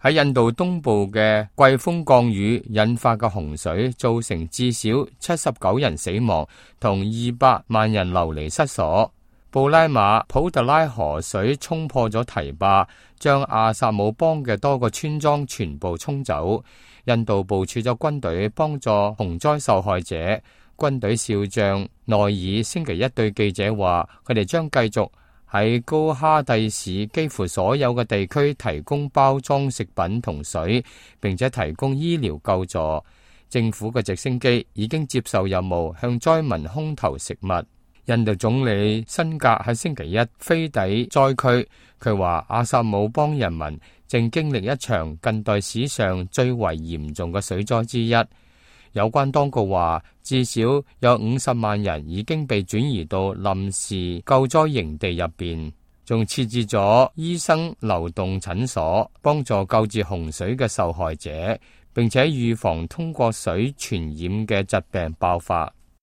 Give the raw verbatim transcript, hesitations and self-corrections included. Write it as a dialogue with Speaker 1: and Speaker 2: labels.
Speaker 1: 喺印度東部嘅季風降雨引發嘅洪水，造成至少七十九人死亡，同二百萬人流離失所。布拉馬普特拉河水衝破咗堤壩，將阿薩姆邦嘅多個村莊全部沖走。印度部署咗軍隊幫助洪災受害者。軍隊少將內爾星期一對記者話，佢哋將繼續喺高哈蒂市幾乎所有嘅地區提供包裝食品同水，並且提供醫療救助。政府嘅直升機已經接受任務，向災民空投食物。印度總理辛格喺星期一飛抵災區，佢話阿薩姆邦人民正經歷一場近代史上最為嚴重嘅水災之一。有關當局話，至少有五十萬人已經被轉移到臨時救災營地入邊，仲設置咗醫生流動診所，幫助救治洪水嘅受害者，並且預防通過水傳染嘅疾病爆發。